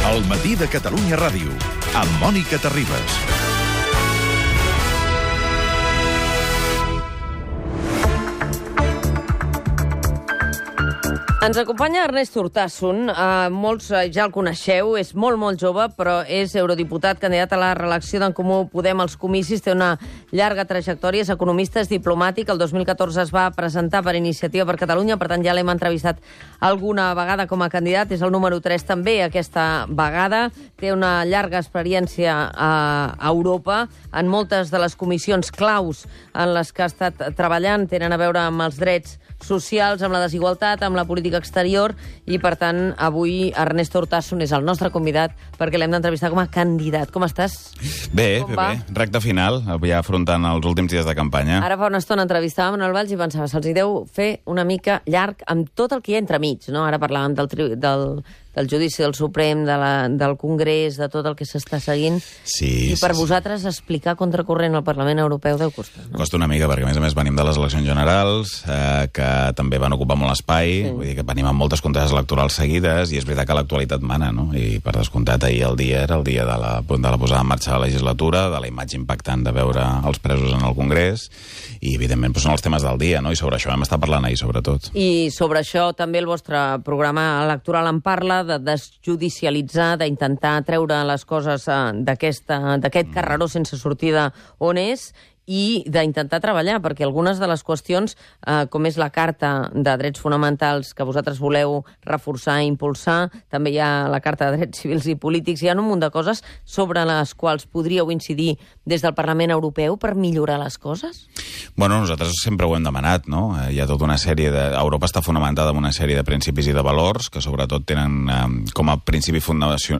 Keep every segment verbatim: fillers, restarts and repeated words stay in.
El matí de Catalunya Ràdio, amb Mònica Terribas. Ens acompanya Ernest Urtasun. Uh, molts uh, ja el coneixeu, és molt, molt jove, però és eurodiputat, candidat a la reelecció d'en Comú Podem als comicis, té una llarga trajectòria, és economista, és diplomàtic, el dos mil catorze es va presentar per Iniciativa per Catalunya, per tant ja l'hem entrevistat alguna vegada com a candidat, és el número tres també aquesta vegada, té una llarga experiència a, a Europa, en moltes de les comissions claus en les que ha estat treballant, tenen a veure amb els drets socials, amb la desigualtat, amb la política exterior, i per tant avui Ernest Urtasun és el nostre convidat perquè l'hem d'entrevistar com a candidat. Com estàs? Bé, com bé, va? bé. Recte final, ja afrontant els últims dies de campanya. Ara fa una estona entrevistàvem en el Valls i pensava, se'ls deu fer una mica llarg amb tot el que hi ha entremig, no? Ara parlàvem del, tri del, del judici del Suprem, de la, del Congrés, de tot el que s'està seguint. Sí, I per sí, vosaltres explicar contracorrent al Parlament Europeu deu costar, no? Costa una mica, perquè a més a més venim de les eleccions generals, eh, que també van ocupar molt espai, sí. Vull dir que venim amb moltes conteses electorals seguides, i és veritat que l'actualitat mana, no? I per descomptat, ahir el dia era el dia de la, de la posada en marxa de la legislatura, de la imatge impactant de veure els presos en el Congrés, i evidentment doncs, són els temes del dia, no? I sobre això vam estar parlant ahir, sobretot. I sobre això també el vostre programa electoral en parla, de desjudicialitzar, d'intentar treure les coses uh, d'aquest mm. carreró sense sortida on és, i d'intentar treballar, perquè algunes de les qüestions, eh, com és la Carta de Drets Fonamentals que vosaltres voleu reforçar i impulsar, també hi ha la Carta de Drets Civils i Polítics, hi ha un munt de coses sobre les quals podríeu incidir des del Parlament Europeu per millorar les coses? Bueno, nosaltres sempre ho hem demanat, no? Hi ha tota una sèrie de... Europa està fonamentada en una sèrie de principis i de valors que sobretot tenen eh, com a principi fundació...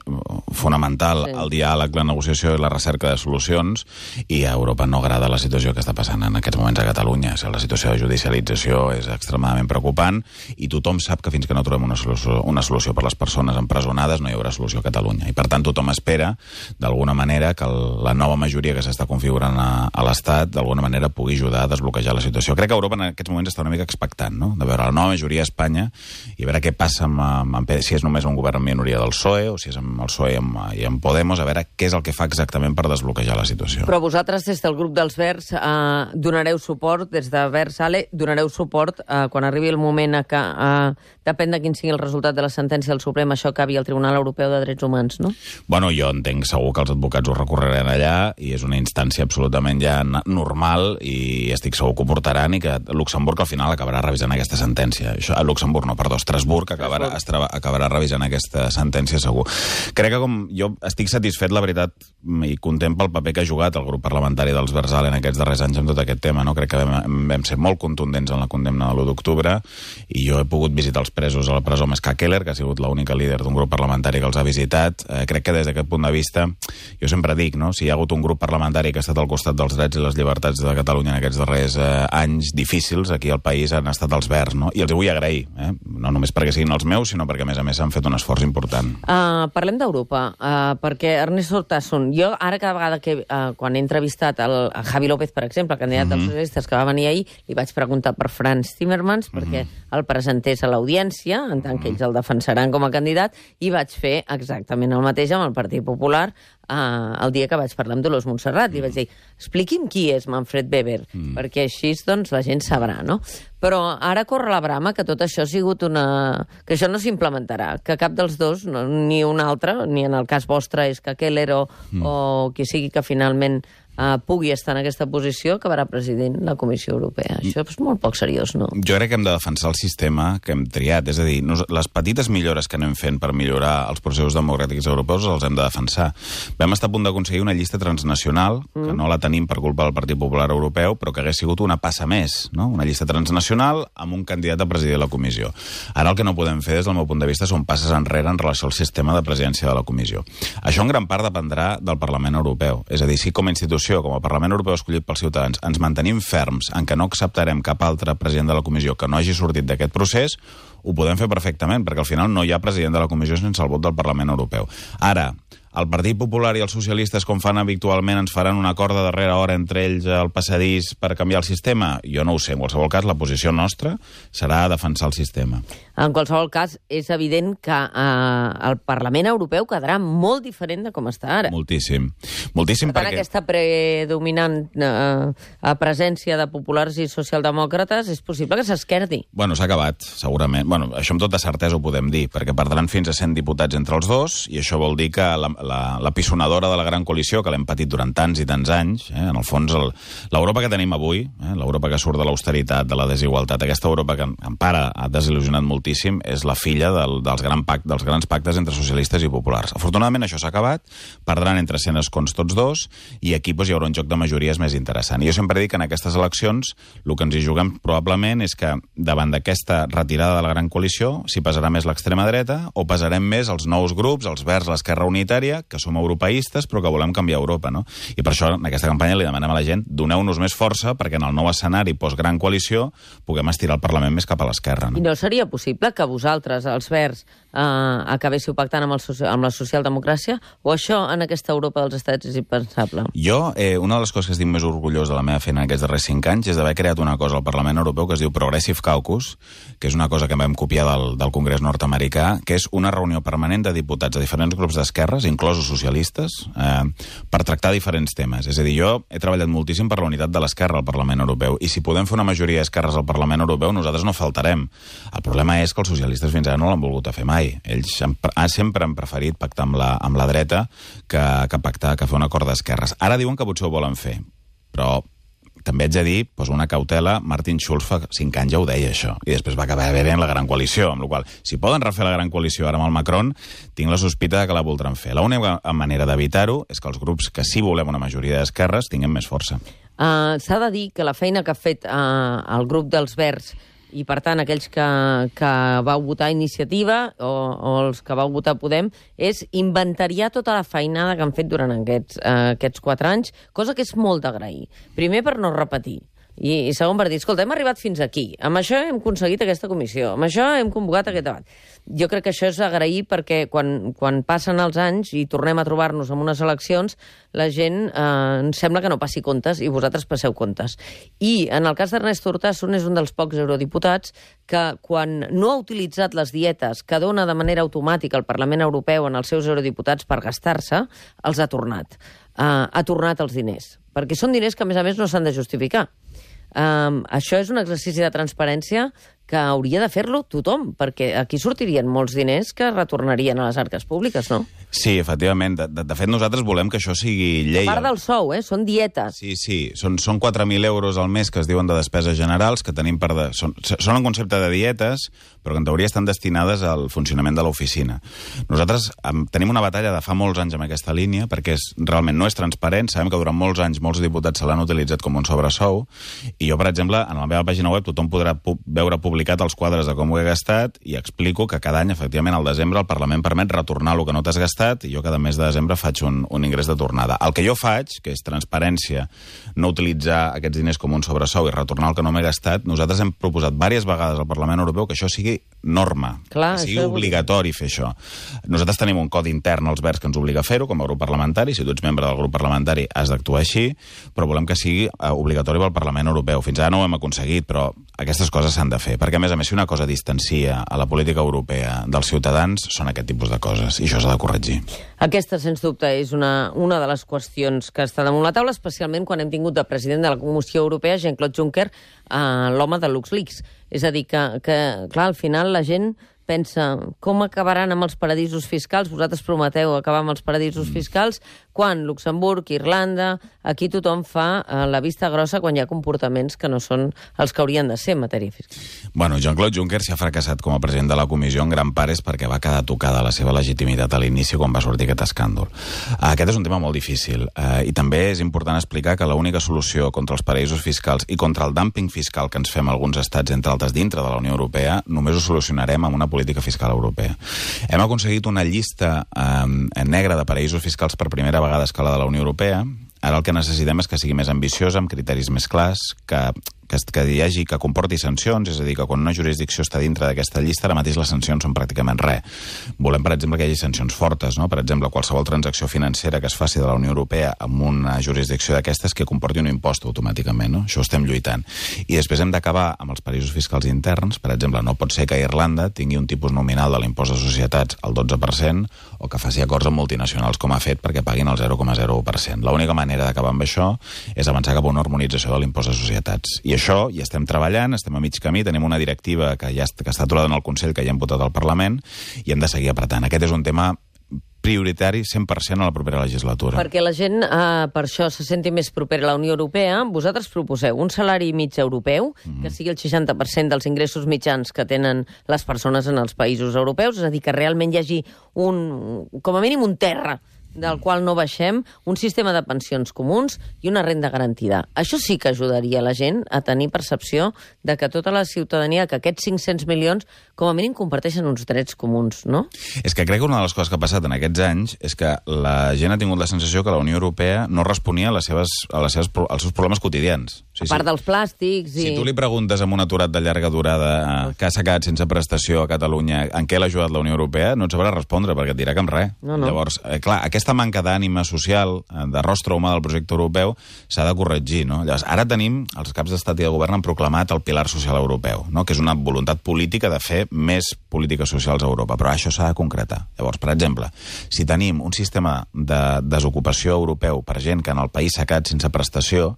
fonamental sí. el diàleg, la negociació i la recerca de solucions, i a Europa no agrada la situació que està passant en aquests moments a Catalunya. O sigui, la situació de judicialització és extremadament preocupant i tothom sap que fins que no trobem una solució, una solució per les persones empresonades no hi haurà solució a Catalunya. I per tant tothom espera, d'alguna manera, que el, la nova majoria que s'està configurant a, a l'Estat d'alguna manera pugui ajudar a desbloquejar la situació. Crec que Europa en aquests moments està una mica expectant, no? De veure la nova majoria a Espanya i a veure què passa amb, amb, amb si és només un govern en minoria del P S O E o si és amb el P S O E i amb, i amb Podemos, a veure què és el que fa exactament per desbloquejar la situació. Però vosaltres, des del grup dels Verds, eh, donareu suport, des de Verds Ale, donareu suport eh, quan arribi el moment a que, eh, depèn de quin sigui el resultat de la sentència del Suprem, això acabi al Tribunal Europeu de Drets Humans, no? Bueno, jo entenc segur que els advocats ho recorreran allà i és una instància absolutament ja normal i estic segur que ho portaran i que Luxemburg al final acabarà revisant aquesta sentència. Això, a Luxemburg no, perdó, Estrasburg acabarà, Estrava, acabarà revisant aquesta sentència segur. Crec que com jo estic satisfet, la veritat, i content pel paper que ha jugat el grup parlamentari dels Verds Ale en aquests darrers anys amb tot aquest tema, no? Crec que vam, vam ser molt contundents en la condemna de l'u d'octubre i jo he pogut visitar els presos a la presó Ska Keller, que ha sigut l'única líder d'un grup parlamentari que els ha visitat. Eh, crec que des d'aquest punt de vista, jo sempre dic, no? Si hi ha hagut un grup parlamentari que ha estat al costat dels drets i les llibertats de Catalunya en aquests darrers eh, anys difícils, aquí al país han estat els Verds, no? I els vull agrair, eh? No només perquè siguin els meus, sinó perquè a més a més han fet un esforç important. Uh, parlem d'Europa, uh, perquè Ernest Urtasun, jo ara cada vegada que, uh, quan he entrevistat el, a Javi López, per exemple, el candidat mm -hmm. dels socialistes que va venir ahir, li vaig preguntar per Frans Timmermans, perquè mm -hmm. el presentés a l'audiència, en tant que ells el defensaran com a candidat, i vaig fer exactament el mateix amb el Partit Popular uh, el dia que vaig parlar amb Dolors Montserrat. Li vaig dir, expliqui'm qui és Manfred Weber, mm. perquè així doncs, la gent sabrà, no? Però ara corre la brama que tot això ha sigut una... que això no s'implementarà, que cap dels dos, no, ni un altre, ni en el cas vostre és que Keller o, mm. o qui sigui que finalment Uh, pugui estar en aquesta posició, acabarà president la Comissió Europea. Això és molt poc seriós, no? Jo crec que hem de defensar el sistema que hem triat. És a dir, nos, les petites millores que anem fent per millorar els processos democràtics europeus els hem de defensar. Vam estar a punt d'aconseguir una llista transnacional, mm. que no la tenim per culpa del Partit Popular Europeu, però que hagués sigut una passa més, no? Una llista transnacional amb un candidat a presidir la Comissió. Ara el que no podem fer, des del meu punt de vista, són passes enrere en relació al sistema de presidència de la Comissió. Això en gran part dependrà del Parlament Europeu. És a dir, si com a institució, com a Parlament Europeu escollit pels ciutadans, ens mantenim ferms en què no acceptarem cap altre president de la Comissió que no hagi sortit d'aquest procés, ho podem fer perfectament, perquè al final no hi ha president de la Comissió sense el vot del Parlament Europeu. Ara, el Partit Popular i els socialistes, com fan habitualment, ens faran una corda darrere hora entre ells al passadís per canviar el sistema? Jo no ho sé. En qualsevol cas, la posició nostra serà defensar el sistema. En qualsevol cas, és evident que eh, el Parlament Europeu quedarà molt diferent de com està ara. Moltíssim. Moltíssim per tant, perquè... aquesta predominant eh, presència de populars i socialdemòcrates és possible que s'esquerdi. Bueno, s'ha acabat, segurament. Bueno, això amb tota certesa ho podem dir, perquè perdran fins a cent diputats entre els dos, i això vol dir que la, la, la pisonadora de la gran coalició, que l'hem patit durant tants i tants anys, eh, en el fons, l'Europa que tenim avui, eh, l'Europa que surt de l'austeritat, de la desigualtat, aquesta Europa que encara ha desil·lusionat moltíssim, és la filla del, dels, gran pact, dels grans pactes entre socialistes i populars. Afortunadament això s'ha acabat, perdran entre cent escons tots dos, i aquí doncs, hi haurà un joc de majories més interessant. I jo sempre dic que en aquestes eleccions el que ens hi juguem probablement és que davant d'aquesta retirada de la gran coalició si pesarà més l'extrema dreta o pesarem més els nous grups, els Verds, l'Esquerra Unitària, que som europeistes però que volem canviar Europa, no? I per això en aquesta campanya li demanem a la gent doneu-nos més força perquè en el nou escenari post-gran coalició puguem estirar el Parlament més cap a l'esquerra. No? I no seria possible que vosaltres, els Verds, eh, acabéssiu pactant amb, el, amb la socialdemocràcia? O això en aquesta Europa dels estats és impensable? Jo, eh, una de les coses que estic més orgullós de la meva feina en aquests darrers cinc anys és d'haver creat una cosa al Parlament Europeu que es diu Progressive Caucus, que és una cosa que vam copiar del, del Congrés nord-americà, que és una reunió permanent de diputats de diferents grups d'esquerres, inclosos socialistes, eh, per tractar diferents temes. És a dir, jo he treballat moltíssim per la unitat de l'esquerra al Parlament Europeu, i si podem fer una majoria d'esquerres al Parlament Europeu, nosaltres no faltarem. El problema és que els socialistes fins ara no l'han volgut a fer mai. Ells han, sempre han preferit pactar amb la, amb la dreta que, que pactar, que fer un acord d'esquerres. Ara diuen que potser ho volen fer, però també haig de dir, doncs una cautela, Martin Schulz fa cinc anys ja ho deia això, i després va acabar bé en la gran coalició, amb la qual cosa, si poden refer la gran coalició ara amb el Macron, tinc la sospita que la voldran fer. L'única manera d'evitar-ho és que els grups que sí volem una majoria d'esquerres tinguem més força. Uh, S'ha de dir que la feina que ha fet uh, el grup dels Verds i, per tant, aquells que, que vau votar Iniciativa o, o els que vau votar Podem, és inventariar tota la feinada que han fet durant aquests, uh, aquests quatre anys, cosa que és molt d'agrair. Primer, per no repetir. I, i segon, per dir, escolta, hem arribat fins aquí, amb això hem aconseguit aquesta comissió, amb això hem convocat aquest debat. Jo crec que això és agrair perquè quan, quan passen els anys i tornem a trobar-nos en unes eleccions, la gent eh, ens sembla que no passi comptes i vosaltres passeu comptes. I en el cas d'Ernest Urtasun és un dels pocs eurodiputats que quan no ha utilitzat les dietes que dona de manera automàtica el Parlament Europeu en els seus eurodiputats per gastar-se, els ha tornat. Eh, ha tornat els diners, perquè són diners que a més a més no s'han de justificar. Um, això és un exercici de transparència que hauria de fer-lo tothom, perquè aquí sortirien molts diners que retornarien a les arques públiques, no? Sí, efectivament. De, de, de fet, nosaltres volem que això sigui llei. A part del sou, eh? Són dietes. Sí, sí. Són, són quatre mil euros al mes que es diuen de despeses generals, que tenim per... De, són, són en concepte de dietes, però que en teoria estan destinades al funcionament de l'oficina. Nosaltres um, tenim una batalla de fa molts anys amb aquesta línia, perquè és, realment no és transparent. Sabem que durant molts anys molts diputats se l'han utilitzat com un sobresou, i jo, per exemple, en la meva pàgina web tothom podrà pu veure publicat els quadres de com ho he gastat i explico que cada any, efectivament, al desembre el Parlament permet retornar el que no t'has gastat i jo cada mes de desembre faig un, un ingrés de tornada. El que jo faig, que és transparència, no utilitzar aquests diners com un sobresou i retornar el que no m'he gastat, nosaltres hem proposat diverses vegades al Parlament Europeu que això sigui norma, Clar, que sigui obligatori fer això. Nosaltres tenim un codi intern als Verds que ens obliga a fer-ho com a grup parlamentari, si tu ets membre del grup parlamentari has d'actuar així, però volem que sigui uh, obligatori pel Parlament Europeu. Fins ara no ho hem aconseguit, però aquestes coses s'han de fer, perquè a més a més si una cosa distancia a la política europea dels ciutadans són aquest tipus de coses, i això s'ha de corregir. Aquesta, sens dubte, és una, una de les qüestions que està damunt la taula, especialment quan hem tingut de president de la Comissió Europea, Jean-Claude Juncker, eh, l'home de LuxLeaks. És a dir, que, que, clar, al final la gent pensa com acabaran amb els paradisos fiscals, vosaltres prometeu acabar amb els paradisos mm. fiscals, quan Luxemburg, Irlanda, aquí tothom fa eh, la vista grossa quan hi ha comportaments que no són els que haurien de ser en matèria fiscal. Bueno, Jean-Claude Juncker s'ha fracassat com a president de la comissió en gran part és perquè va quedar tocada la seva legitimitat a l'inici quan va sortir aquest escàndol. Aquest és un tema molt difícil eh, i també és important explicar que l'única solució contra els paradisos fiscals i contra el dumping fiscal que ens fem alguns estats, entre altres dintre de la Unió Europea, només ho solucionarem amb una política fiscal europea. Hem aconseguit una llista eh, negra de paradisos fiscals per primera vegada a escala de la Unió Europea. Ara el que necessitem és que sigui més ambiciosa, amb criteris més clars, que que, que hi hagi, que comporti sancions, és a dir, que quan una jurisdicció està dintre d'aquesta llista, ara mateix les sancions són pràcticament res. Volem, per exemple, que hi hagi sancions fortes, no? Per exemple, qualsevol transacció financera que es faci de la Unió Europea amb una jurisdicció d'aquestes que comporti un impost automàticament, no? Això ho estem lluitant. I després hem d'acabar amb els paradisos fiscals interns. Per exemple, no pot ser que Irlanda tingui un tipus nominal de l'impost de societats al dotze per cent o que faci acords amb multinacionals com ha fet perquè paguin el zero coma zero u per cent. L'única manera d'acabar amb això és avançar cap a una harmonització de l'impost de societats. I això hi estem treballant, estem a mig camí, tenim una directiva que ja que està aturada en el Consell, que ja hem votat al Parlament, i hem de seguir apretant. Aquest és un tema prioritari cent per cent a la propera legislatura. Perquè la gent, eh, per això, se senti més propera a la Unió Europea. Vosaltres proposeu un salari mig europeu, mm-hmm. que sigui el seixanta per cent dels ingressos mitjans que tenen les persones en els països europeus, és a dir, que realment hi hagi un, com a mínim un terra del qual no baixem, un sistema de pensions comuns i una renda garantida. Això sí que ajudaria la gent a tenir percepció de que tota la ciutadania, que aquests cinc-cents milions, com a mínim comparteixen uns drets comuns, no? És que crec que una de les coses que ha passat en aquests anys és que la gent ha tingut la sensació que la Unió Europea no responia a les seves, a les seves, als seus problemes quotidians. Sí, a part sí. dels plàstics i... Si tu li preguntes a un aturat de llarga durada eh, que s'ha quedat sense prestació a Catalunya en què l'ha ajudat la Unió Europea, no et sabrà respondre perquè et dirà que en res. No, no. Llavors, eh, clar, aquesta manca d'ànima social, de rostre humà del projecte europeu, s'ha de corregir, no? Llavors, ara tenim, els caps d'estat i de govern han proclamat el pilar social europeu, no? Que és una voluntat política de fer més polítiques socials a Europa, però això s'ha de concretar. Llavors, per exemple, si tenim un sistema de desocupació europeu per gent que en el país s'ha quedat sense prestació,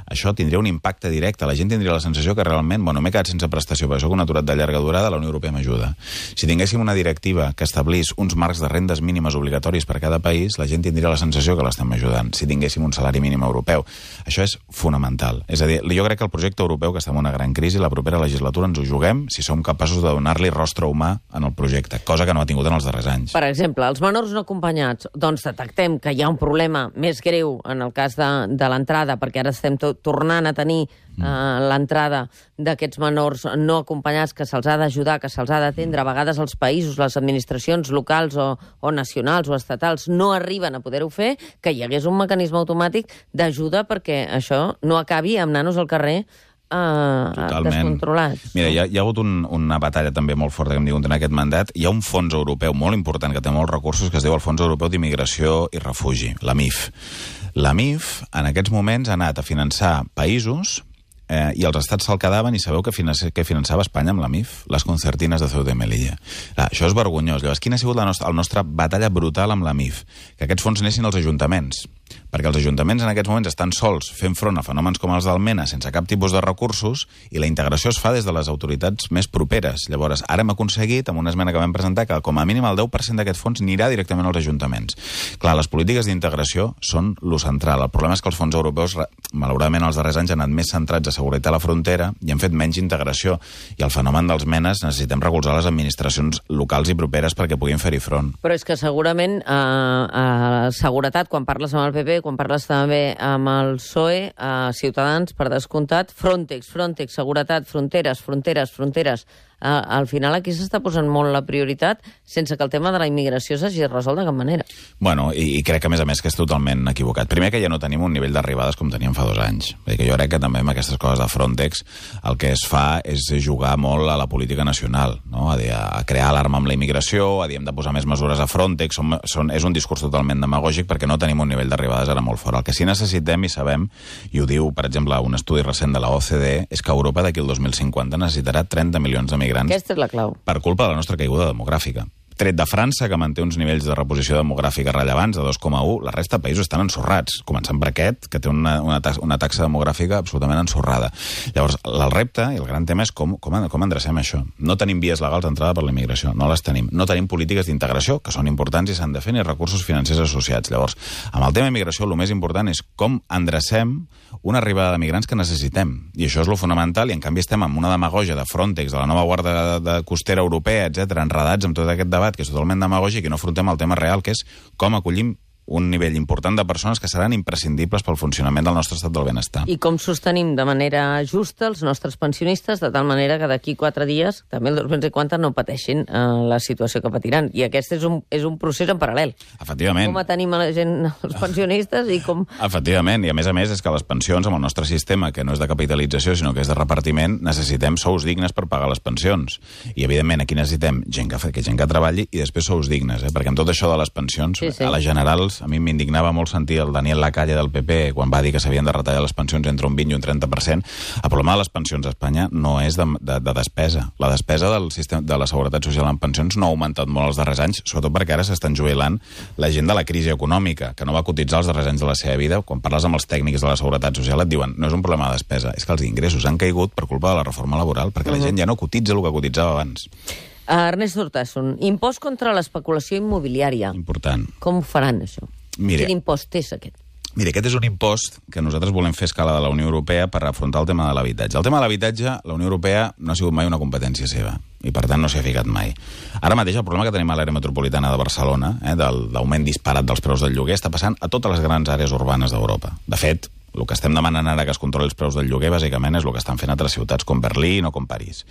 això tindria un impacte directe. La gent tindria la sensació que realment, bueno, m'he quedat sense prestació, perquè soc un aturat de llarga durada, la Unió Europea m'ajuda. Si tinguéssim una directiva que establís uns marcs de rendes mínimes obligatoris per cada país, la gent tindria la sensació que l'estem ajudant. Si tinguéssim un salari mínim europeu. Això és fonamental. És a dir, jo crec que el projecte europeu, que està en una gran crisi, la propera legislatura ens ho juguem si som capaços de donar-li rostre humà en el projecte, cosa que no ha tingut en els darrers anys. Per exemple, els menors no acompanyats, doncs detectem que hi ha un problema més greu en el cas de, de l'entrada, perquè ara estem tot tornant a tenir eh, l'entrada d'aquests menors no acompanyats, que se'ls ha d'ajudar, que se'ls ha d'atendre. A vegades els països, les administracions locals o, o nacionals o estatals no arriben a poder-ho fer, que hi hagués un mecanisme automàtic d'ajuda perquè això no acabi amb nanos al carrer Uh, descontrolats. Mira, hi ha, hi ha hagut un, una batalla també molt forta que hem tingut en aquest mandat. Hi ha un fons europeu molt important que té molts recursos que es diu el Fons Europeu d'Immigració i Refugi, la M I F. La M I F en aquests moments ha anat a finançar països eh, i els estats se'l quedaven i sabeu que, finança, que finançava Espanya amb la M I F? Les concertines de Ceuta i Melilla. Ah, això és vergonyós. Llavors, quina ha sigut la nostra, la nostra batalla brutal amb la M I F? Que aquests fons anessin als ajuntaments, perquè els ajuntaments en aquests moments estan sols fent front a fenòmens com els del MENA sense cap tipus de recursos i la integració es fa des de les autoritats més properes. Llavors, ara hem aconseguit, amb una esmena que vam presentar, que com a mínim el deu per cent d'aquest fons anirà directament als ajuntaments. Clar, les polítiques d'integració són lo central. El problema és que els fons europeus, malauradament, els darrers anys han anat més centrats a seguretat a la frontera i han fet menys integració. I el fenomen dels MENAs necessitem recolzar les administracions locals i properes perquè puguin fer-hi front. Però és que segurament eh, eh, seguretat, quan parles amb el P P, quan parles també amb el P S O E, a Ciutadans, per descomptat, Frontex, Frontex, seguretat, fronteres, fronteres, fronteres. Uh, al final aquí s'està posant molt la prioritat sense que el tema de la immigració s'hagi resolt de cap manera. Bueno, i, i crec que, a més a més, que és totalment equivocat. Primer, que ja no tenim un nivell d'arribades com teníem fa dos anys. Vull dir que jo crec que també amb aquestes coses de Frontex el que es fa és jugar molt a la política nacional, no? A, dir, a crear alarma amb la immigració, a dir, hem de posar més mesures a Frontex. Som, són, és un discurs totalment demagògic perquè no tenim un nivell d'arribades ara molt fort. El que sí necessitem, i sabem, i ho diu, per exemple, un estudi recent de la O C D E, és que Europa d'aquí al dos mil cinquanta necessitarà trenta milions de migrants. Aquesta és la clau. Per culpa de la nostra caiguda demogràfica. Tret de França, que manté uns nivells de reposició demogràfica rellevants de dos coma u, la resta de països estan ensorrats, començant per aquest, que té una, una, taxa, una taxa demogràfica absolutament ensorrada. Llavors, el repte i el gran tema és com, com, com endrecem això. No tenim vies legals d'entrada per la immigració, no les tenim. No tenim polítiques d'integració, que són importants i s'han de fer, ni recursos financers associats. Llavors, amb el tema immigració, el més important és com endrecem una arribada de migrants que necessitem. I això és lo fonamental, i en canvi estem amb una demagògia de Frontex, de la nova guarda de, de costera europea, etcètera, enredats amb tot aquest debat, que és totalment demagògic, i no afrontem el tema real, que és com acollim un nivell important de persones que seran imprescindibles pel funcionament del nostre estat del benestar. I com sostenim de manera justa els nostres pensionistes, de tal manera que d'aquí quatre dies, també el dos mil cinquanta, no pateixin eh, la situació que patiran. I aquest és un, és un procés en paral·lel. Efectivament. Com tenim a la gent, els pensionistes, i com... Efectivament, i a més a més és que les pensions, amb el nostre sistema, que no és de capitalització, sinó que és de repartiment, necessitem sous dignes per pagar les pensions. I, evidentment, aquí necessitem gent que, que, gent que treballi i després sous dignes, eh? Perquè amb tot això de les pensions, sí, sí. a les generals, a mi m'indignava molt sentir el Daniel Lacalle del P P quan va dir que s'havien de retallar les pensions entre un vint i un trenta per cent. El problema de les pensions a Espanya no és de, de, de despesa. La despesa del sistema de la Seguretat Social en pensions no ha augmentat molt els darrers anys, sobretot perquè ara s'estan jubilant la gent de la crisi econòmica, que no va cotitzar els darrers anys de la seva vida. Quan parles amb els tècnics de la Seguretat Social et diuen no és un problema de despesa, és que els ingressos han caigut per culpa de la reforma laboral, perquè uh-huh. la gent ja no cotitza el que cotitzava abans. Uh, Ernest Urtasun, impost contra l'especulació immobiliària. Important. Com ho faran, això? Mire, Quin impost és aquest? Mira, aquest és un impost que nosaltres volem fer a escala de la Unió Europea per afrontar el tema de l'habitatge. El tema de l'habitatge, la Unió Europea no ha sigut mai una competència seva i, per tant, no s'hi ha ficat mai. Ara mateix el problema que tenim a l'àrea metropolitana de Barcelona, eh, del, d'augment disparat dels preus del lloguer, està passant a totes les grans àrees urbanes d'Europa. De fet, el que estem demanant ara que es controli els preus del lloguer, bàsicament, és el que estan fent altres ciutats com Berlín o com París.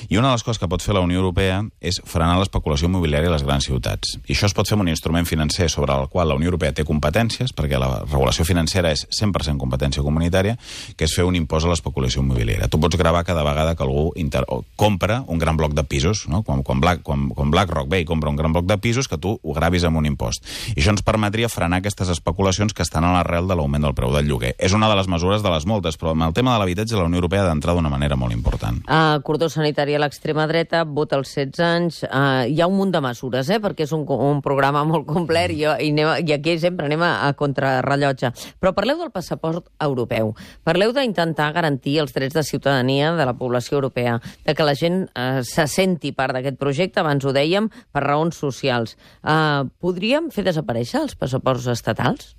I una de les coses que pot fer la Unió Europea és frenar l'especulació immobiliària a les grans ciutats. I això es pot fer amb un instrument financer sobre el qual la Unió Europea té competències, perquè la regulació financera és cent per cent competència comunitària, que és fer un impost a l'especulació immobiliària. Tu pots gravar cada vegada que algú inter... compra un gran bloc de pisos, no? Quan, quan, Black, quan, quan BlackRock ve i compra un gran bloc de pisos, que tu ho gravis amb un impost. I això ens permetria frenar aquestes especulacions que estan a l'arrel de l'augment del preu del lloguer. És una de les mesures de les moltes, però amb el tema de l'habitatge la Unió Europea ha d'entrar d'una manera molt important. Uh, cordó sanitari a l'extrema dreta, vot als setze anys, uh, hi ha un munt de mesures, eh, perquè és un, un programa molt complet i, i, anem, i aquí sempre anem a, a contrarrellotge. Però parleu del passaport europeu, parleu d'intentar garantir els drets de ciutadania de la població europea, de que la gent uh, se senti part d'aquest projecte, abans ho dèiem, per raons socials. Uh, podríem fer desaparèixer els passaports estatals?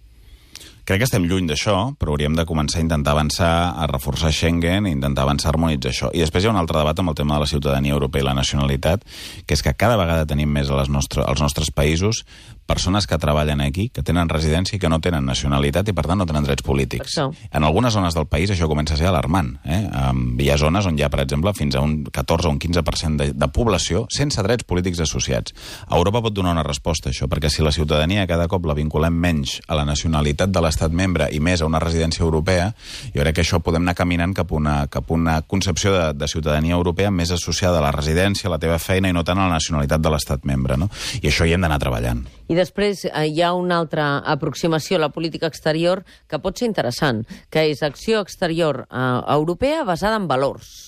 Crec que estem lluny d'això, però hauríem de començar a intentar avançar, a reforçar Schengen i intentar avançar a harmonitzar això. I després hi ha un altre debat amb el tema de la ciutadania europea i la nacionalitat, que és que cada vegada tenim més a les nostres, als nostres països persones que treballen aquí, que tenen residència i que no tenen nacionalitat i, per tant, no tenen drets polítics. En algunes zones del país això comença a ser alarmant. Eh? Hi ha zones on hi ha, per exemple, fins a un catorze o un quinze per cent de, de població sense drets polítics associats. Europa pot donar una resposta a això, perquè si la ciutadania cada cop la vinculem menys a la nacionalitat de l'estat membre i més a una residència europea, jo crec que això podem anar caminant cap a una, cap a una concepció de, de ciutadania europea més associada a la residència, a la teva feina i no tant a la nacionalitat de l'estat membre. No? I això hi hem d'anar treballant. I després eh, hi ha una altra aproximació a la política exterior que pot ser interessant, que és acció exterior eh, europea basada en valors,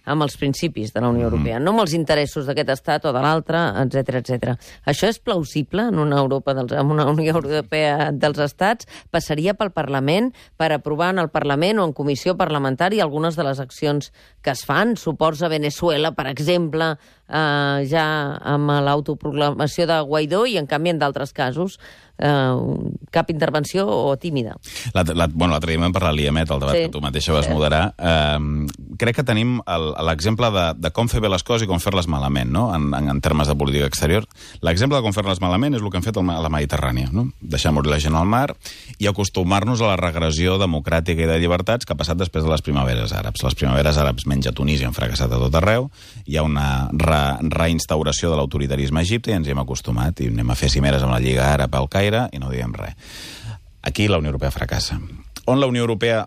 amb els principis de la Unió Europea, no amb els interessos d'aquest estat o de l'altre, etcètera, etcètera. Això és plausible en una Europa dels, en una Unió Europea dels estats? Passaria pel Parlament per aprovar en el Parlament o en comissió parlamentària algunes de les accions que es fan? Suports a Venezuela, per exemple, eh, ja amb l'autoproclamació de Guaidó i, en canvi, en d'altres casos, eh, cap intervenció o tímida. L'altre bueno, dia vam parlar a l'I E M E T, el debat sí. que tu mateixa vas sí. moderar. Eh, crec que tenim l'exemple de, de com fer bé les coses i com fer-les malament, no? en, en, en termes de política exterior. L'exemple de com fer-les malament és el que hem fet a la Mediterrània, no? Deixar morir la gent al mar i acostumar-nos a la regressió democràtica i de llibertats que ha passat després de les primaveres àrabs. Les primaveres àrabs menys a Tunísia han fracassat a tot arreu, hi ha una re, reinstauració de l'autoritarisme a Egipte i ens hi hem acostumat i anem a fer cimeres amb la Lliga Àrab al Caire i no diem res. Aquí la Unió Europea fracassa. On la Unió Europea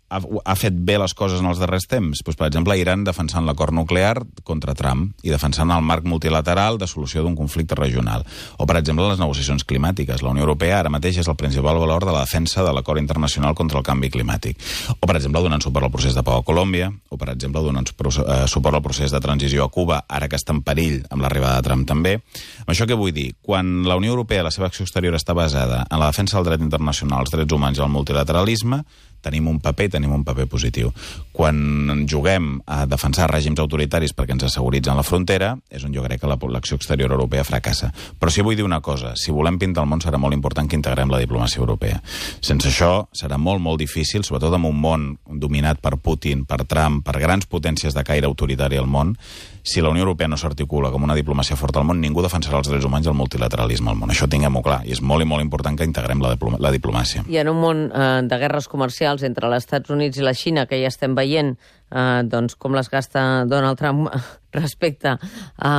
ha, ha fet bé les coses en els darrers temps? Pues, per exemple, Iran defensant l'acord nuclear contra Trump i defensant el marc multilateral de solució d'un conflicte regional. O, per exemple, les negociacions climàtiques. La Unió Europea ara mateix és el principal valor de la defensa de l'acord internacional contra el canvi climàtic. O, per exemple, donant suport al procés de pau a Colòmbia, o, per exemple, donant suport al procés de transició a Cuba, ara que està en perill amb l'arribada de Trump també. Amb això què vull dir? Quan la Unió Europea, la seva acció exterior està basada en la defensa del dret internacional, els drets humans i el multilateralisme, tenim un paper i tenim un paper positiu. Quan juguem a defensar règims autoritaris perquè ens asseguritzen la frontera, és on jo crec que l'acció exterior europea fracassa. Però sí vull dir una cosa, si volem pintar el món serà molt important que integrem la diplomàcia europea. Sense això serà molt, molt difícil, sobretot en un món dominat per Putin, per Trump, per grans potències de caire autoritari al món, si la Unió Europea no s'articula com una diplomàcia forta al món, ningú defensarà els drets humans i el multilateralisme al món. Això tinguem-ho clar, i és molt i molt important que integrem la, diploma, la diplomàcia. I en un món eh, de guerres comercials entre els Estats Units i la Xina, que ja estem veient eh, doncs, com les gasta Donald Trump respecte a,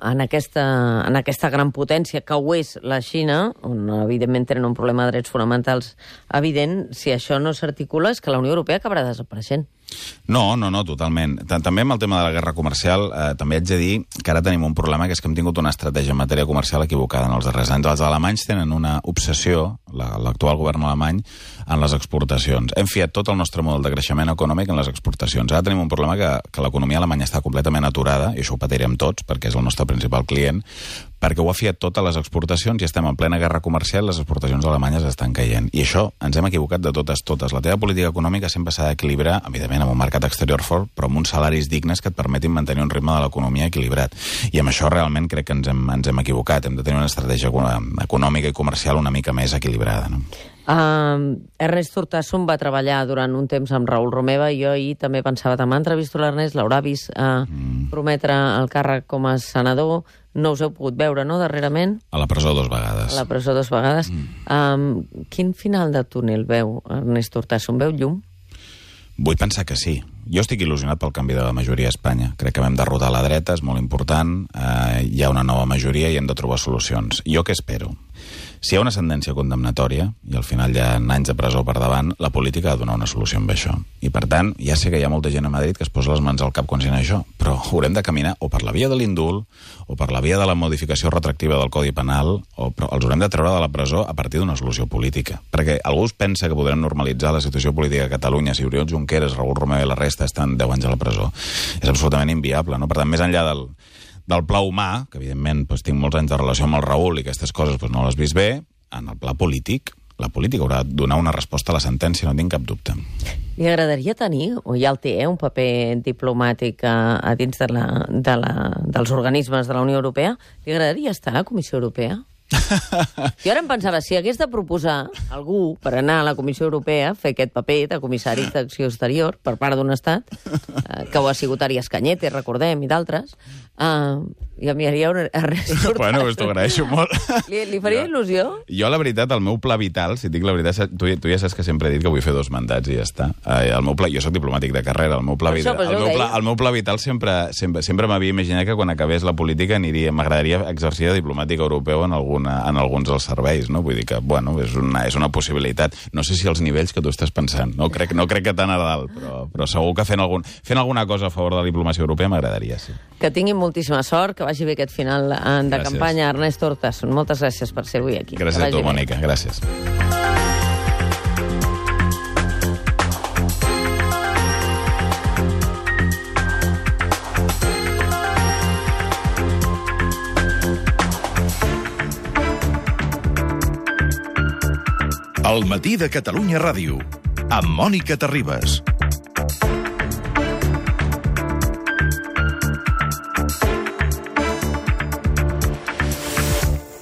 en, aquesta, en aquesta gran potència que ho és la Xina, on evidentment tenen un problema de drets fonamentals evident, si això no s'articula és que la Unió Europea acabarà desapareixent. No, no, no, totalment. També amb el tema de la guerra comercial, eh, també haig de dir que ara tenim un problema, que és que hem tingut una estratègia en matèria comercial equivocada en els darrers anys. Els alemanys tenen una obsessió, l'actual govern alemany, en les exportacions. Hem fiat tot el nostre model de creixement econòmic en les exportacions. Ara tenim un problema que, que l'economia alemanya està completament aturada, i això ho patirem tots, perquè és el nostre principal client, perquè ho ha fiat tot a les exportacions i estem en plena guerra comercial i les exportacions alemanyes estan caient. I això ens hem equivocat de totes, totes. La teva política econòmica sempre s'ha d'equilibrar, evidentment, amb un mercat exterior fort, però amb uns salaris dignes que et permetin mantenir un ritme de l'economia equilibrat. I amb això realment crec que ens hem, ens hem equivocat. Hem de tenir una estratègia econòmica i comercial una mica més equilibrada, no? Uh, Ernest Urtasun va treballar durant un temps amb Raül Romeva i jo ahir també pensava, demà entrevisto l'Ernest, l'haurà vist uh, mm. prometre el càrrec com a senador, no us heu pogut veure, no, darrerament? A la presó dues vegades. A la presó dues vegades. Mm. Um, quin final de túnel veu Ernest Urtasun? Veu llum? Vull pensar que sí. Jo estic il·lusionat pel canvi de la majoria a Espanya. Crec que vam derrotar la dreta, és molt important, eh, hi ha una nova majoria i hem de trobar solucions. Jo què espero? Si hi ha una sentència condemnatòria, i al final hi ha anys de presó per davant, la política ha de donar una solució amb això. I per tant, ja sé que hi ha molta gent a Madrid que es posa les mans al cap quan sent això, però haurem de caminar o per la via de l'indult, o per la via de la modificació retractiva del Codi Penal, o però els haurem de treure de la presó a partir d'una solució política. Perquè algú es pensa que podrem normalitzar la situació política a Catalunya si Oriol Junqueras, Raül Romeva i la resta estan deu anys a la presó. És absolutament inviable, no? Per tant, més enllà del... del pla humà, que evidentment doncs, tinc molts anys de relació amb el Raül i aquestes coses doncs, no les vist bé, en el pla polític, la política haurà de donar una resposta a la sentència, no tinc cap dubte. Li agradaria tenir, o ja el té, eh, un paper diplomàtic a, a dins de la, de la, dels organismes de la Unió Europea? Li agradaria estar a la Comissió Europea? Jo ara em pensava, si hagués de proposar algú per anar a la Comissió Europea, fer aquest paper de comissari d'acció exterior per part d'un estat, eh, que ho ha sigut Arias Cañete, recordem, i d'altres, eh, i enviaria un Ernest Urtasun. Bueno, pues t'ho agraeixo molt. Li, li faria jo, il·lusió? Jo, la veritat, el meu pla vital, si et dic la veritat, tu, tu ja saps que sempre he dit que vull fer dos mandats i ja està. Eh, el meu pla, jo soc diplomàtic de carrera, el meu pla, això, vital, el meu pla, el meu pla vital sempre, sempre, sempre m'havia imaginat que quan acabés la política aniria, m'agradaria exercir de diplomàtic europeu en, alguna, en alguns dels serveis, no? Vull dir que, bueno, és una, és una possibilitat. No sé si els nivells que tu estàs pensant, no crec, no crec que tan a dalt, però, però segur que fent, algun, fent alguna cosa a favor de la diplomàcia europea m'agradaria, sí. Que tinguin moltíssima sort, que vagi bé aquest final de gràcies. Campanya. Ernest Urtasun, moltes gràcies per ser avui aquí. Gràcies a tu, Mònica, gràcies. El matí de Catalunya Ràdio, amb Mònica Terribas.